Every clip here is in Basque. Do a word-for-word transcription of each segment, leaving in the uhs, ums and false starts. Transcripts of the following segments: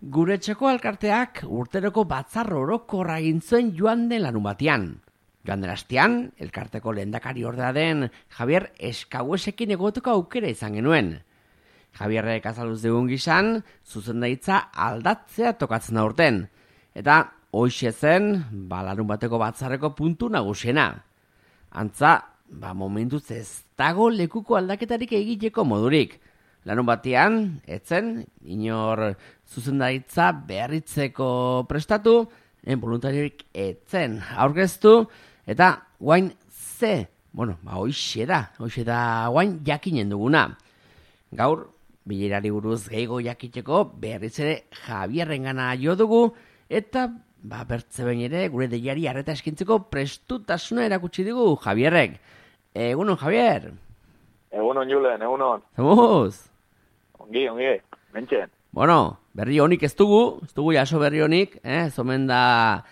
Gure txeko alkarteak urteroko batzar orokorra egin zuen joan den larunbatean. Joan den astean, elkarteko lehendakari ordea den Javier Eskauesekin egoteko aukera izan genuen. Javierrek azaluz dugun gizan, zuzendaritza aldatzea tokatzen aurten. Eta hoxe zen, ba, larunbateko batzarreko puntu nagusiena. Antza, ba, momentuz ez dago lekuko aldaketarik egiteko modurik. Larun batean, etzen, inor zuzendaritza berritzeko prestatu, en voluntariorik etzen aurkeztu, eta guain ze, bueno, ba, hoxe da, hoxe da guain jakinen duguna. Gaur, bilerari buruz gehiago jakiteko berriz ere Javierrengana jo dugu, eta ba, bertze behin ere gure deiari arreta eskintzeko prestutasuna erakutsi dugu Javierrek. Egunon, Javier. Egunon, Julen, egunon. Zemuz? Ongi, ongi, mentxen. Bueno, berri honik ez dugu, ez dugu jaso berri honik, eh? Zomen da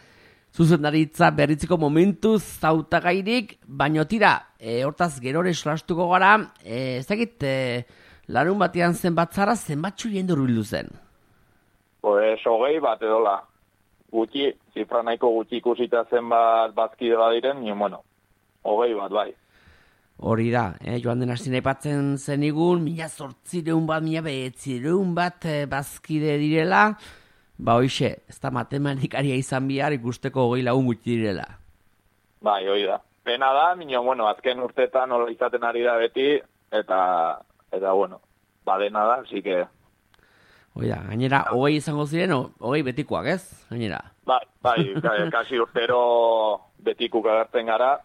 zuzendaritza berritzeko momentu zautagairik, baino tira, e, hortaz gerore solastuko gara, e, ez dakit, e, larun batean zenbatzara zenbatxu jendu bildu zen? Pues hogei bat edola. Gutxi, zifra nahiko gutxi ikusita zenbat bazkide badiren, nio, bueno, hogei bat, bai. Hori da, eh, joan den hasi aipatzen zenigun, mila zortzireun bat, mila behetzireun bat eh, bazkide direla, ba hoixe, ez da matematikaria izan bihar ikusteko hogei lagun gutxi direla. Bai, hori da. Pena da, nio, bueno, azken urtetan hola izaten ari da beti, eta, eta bueno, badena da, así que... Hoi da, gainera, hogei izango ziren, hogei betikoak, ez? Gainera. Bai, bai, kasi urtero betikuk agertzen gara,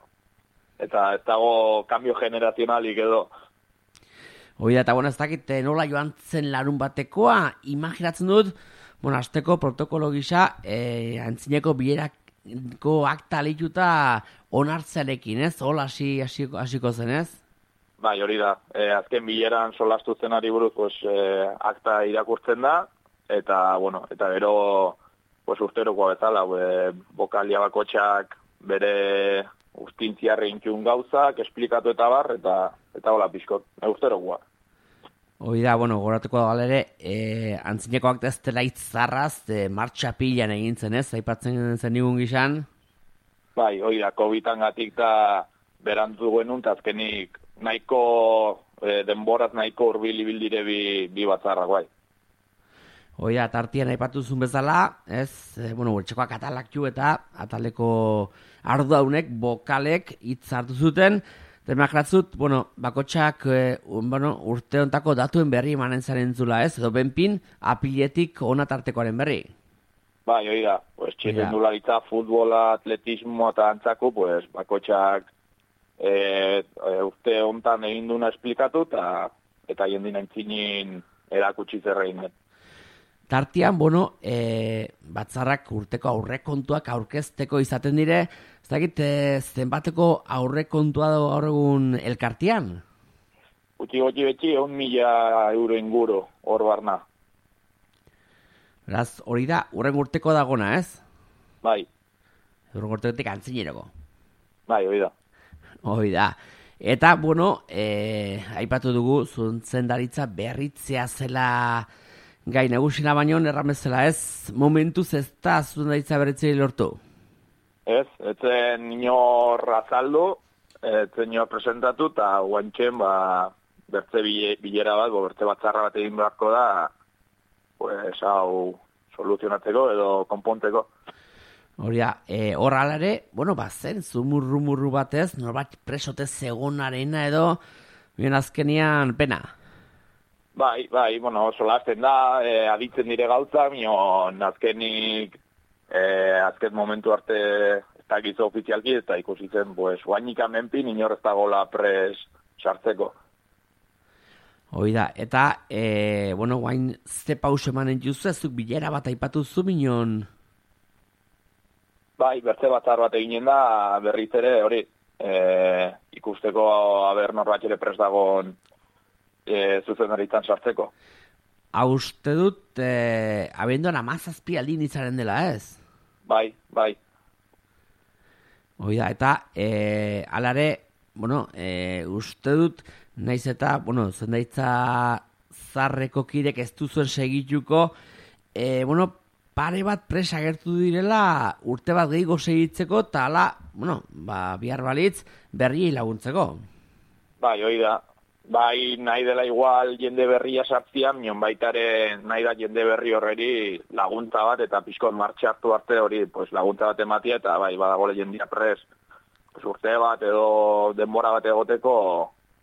eta ez dago kambio generazionalik edo. Hoi da, eta bueno, ez dakit nola joan zen larun batekoa, imaginatzen dut, bueno, azteko protokolo gisa, eh, antzineko bilerako akta lehituta onartzearekin, ez? Hola hasi hasiko zen, ez? Bai, hori da. E, azken bileran solastu zenari buruz, pues, e, akta irakurtzen da, eta, bueno, eta gero, pues, urterokoa bezala, e, bokalia bakotxak bere ustintziarre intxun gauzak, esplikatu eta bar, eta eta hola pixkot, e, urterokoa. Hoi da, bueno, goratuko da ere, e, antzineko akta ez dela itzarraz, e, martxa pilan egin zen, ez? Aipatzen zen nigun gizan? Bai, hoi da, kovidan gatik da berantzu genuen, eta azkenik nahiko, e, denboraz nahiko urbil ibildire bi, bi batzarrak, bai. Hoi da, tartian aipatu zuen bezala, ez, e, bueno, urtsekoak atalak ju eta ataleko ardaunek, bokalek hitz hartu zuten, demakratzut, bueno, bakotxak e, un, bueno, urte hontako datuen berri emanen zaren zula, ez, edo benpin, apiletik ona tartekoaren berri. Bai, hoi da, pues, txirrendularitza, futbola, atletismo eta antzako, pues, bakotxak e, e, urte hontan egin duna esplikatu, eta eta jendina entzinin erakutsi zerrein den. Tartian, bueno, e, batzarrak urteko aurrekontuak aurkezteko izaten dire, ez dakit e, zenbateko aurrekontua dago gaur egun elkartean? Gutxi gutxi betxi, egun mila euro inguru, hor barna. Beraz, hori da, urren urteko dagona, ez? Bai. Urren urtekotik antzineroko. Bai, hori da. Hori da. Eta, bueno, e, aipatu dugu, zuzendaritza berritzea zela gai nagusina baino, erramezela, ez? Momentuz ez da zuzendaritza berritzea lortu? Ez, etzen inor azaldu, etzen inor presentatu, eta guantxen, ba, bertze bilera bat, bo, bertze batzarra bat egin beharko da, pues, hau soluzionatzeko edo konponteko. Hori da, e, hor alare, bueno, ba, zen, zumurru-murru batez, norbait presotez egonarena edo, bien azkenian pena. Bai, bai, bueno, solasten da, e, aditzen dire gauza, mion azkenik, e, azken momentu arte ez dakizu ofizialki, eta ikusitzen, pues, guainik amenpin, inor ez dagoela pres sartzeko. Hoi da, eta, e, bueno, guain ze pauso emanen juzu, ezuk bilera bat aipatu zu minon? Bai, bertze batzar bat eginen da, berriz ere, hori, e, ikusteko aber norbait ere prest dagoen e, zuzendaritzan sartzeko. Hau uste dut, e, abenduan amazazpi aldin izaren dela, ez? Bai, bai. Hoi da, eta, e, alare, bueno, e, uste dut, naiz eta, bueno, zendaitza zarreko kirek ez duzuen segituko, e, bueno, pare bat presa agertu direla urte bat gehiago segitzeko, eta ala, bueno, ba, bihar balitz berriei laguntzeko. Bai, hoi da. Bai, nahi dela igual jende berria sartzia, minon baitare nahi da jende berri horreri laguntza bat, eta pixkot martxe hartu arte hori pues, laguntza bat ematia, eta bai, badago jendia pres pues, urte bat edo denbora bat egoteko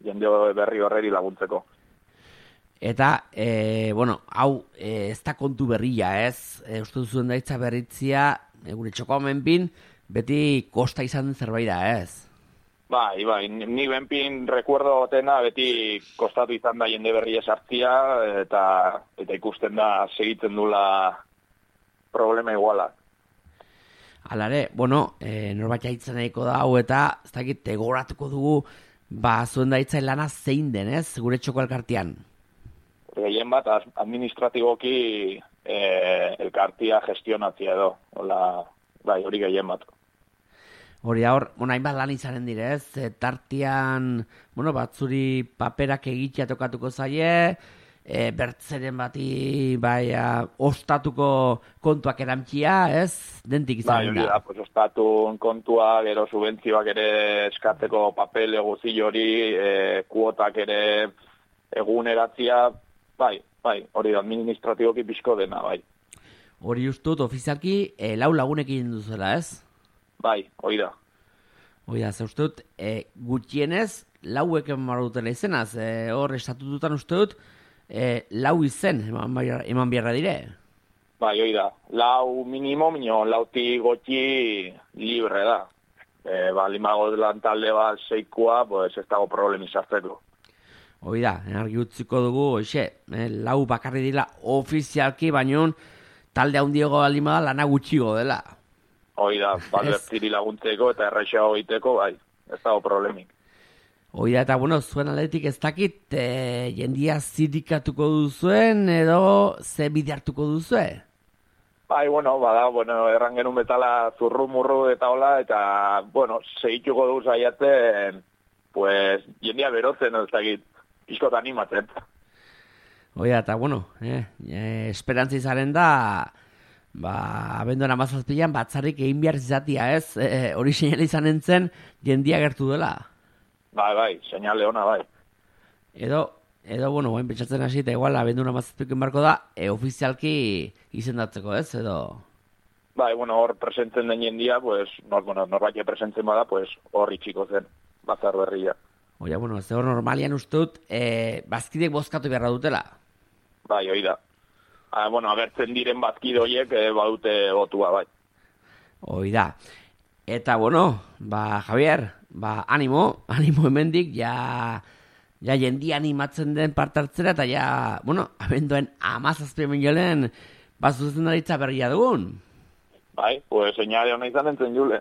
jende berri horreri laguntzeko. Eta, e, bueno, hau e, ez da kontu berria, ez? E, uste duzuen daitza berritzia, e, gure txoko menpin, beti kosta izan den zerbait da, ez? Bai, bai, ni benpin rekuerdo gotena beti kostatu izan da jende berria sartzia, eta, eta ikusten da segitzen dula problema iguala. Alare, bueno, e, norbait jaitzen nahiko da, hau eta, ez dakit, tegoratuko dugu, ba, zuen daitza lana zein den, ez? Gure txoko elkartean. Gehien bat administratiboki e, elkartia gestionatzea edo. Hola, bai, hori gehien bat. Hori da hor, bueno, hainbat lan izanen dire, ez? E, tartian, bueno, batzuri paperak egitea tokatuko zaie, e, bertzeren bati, bai, ostatuko kontuak eramtxia, ez? Dentik izanen da. Bai, hori da, pues, ostatun kontua, gero subentzioak ere eskatzeko papel eguzi hori, e, kuotak ere eguneratzia, bai, bai, hori da, administratiboki pixko dena, bai. Hori ustut, ofizialki, e, lau lagunekin duzela, ez? Bai, hori da. Hori da, ze uste dut, e, gutxienez, lauek eman dutela izenaz, e, hor estatututan uste dut, e, lau izen eman, bai- eman biarra dire. Bai, hori da. Lau minimo, minio, lauti gotxi libre da. E, ba, limago lan talde bat seikua, pues ez dago problemi sartzeko. Hoi da, argi utziko dugu, hoxe, eh, lau bakarri dira ofizialki, baino talde handiago baldin bada lana gutxigo dela. Hoi da, balbertiri laguntzeko eta errexago egiteko, bai, ez dago problemik. Hoi da, eta bueno, zuen aldetik ez dakit, eh, jendia zirikatuko duzuen edo ze bide hartuko duzue? Bai, bueno, bada, bueno, erran genuen betala zurru-murru eta hola, eta, bueno, segituko dugu zaiatzen, pues, jendia berotzen, ez dakit, pixkot animatzen. Oia, eta bueno, eh, eh, esperantza izaren da, ba, abenduan amazazpilan batzarrik egin behar izatia, ez? Eh, hori seinale izan entzen, jendia gertu dela. Bai, bai, seinale ona, bai. Edo, edo, bueno, guen pentsatzen hasi, eta igual, abenduan amazazpilan barko da, e, ofizialki izendatzeko, ez? Edo... Bai, bueno, hor presentzen den jendia, pues, nor, bueno, norbait presentzen bada, pues, hor itxiko zen, batzar berria. Oia, bueno, ez hor normalian uste dut, e, bazkidek bozkatu beharra dutela. Bai, hori da. Ah, bueno, agertzen diren bazkide horiek eh, badute botua, bai. Hoi da. Eta, bueno, ba, Javier, ba, animo, animo hemendik, ja, ja jendia animatzen den parte hartzera, eta ja, bueno, abenduen amazazpien jolen, bazuzen daritza berria dugun. Bai, pues señale ona izan entzen julen.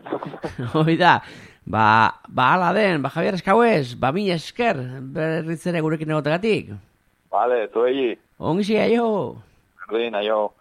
Hoi da. Ba, ba ala den, ba Javier Eskauez, ba mila esker, berriz ere gurekin egotegatik. Vale, zuei. Ongi aio. Berdin, aio.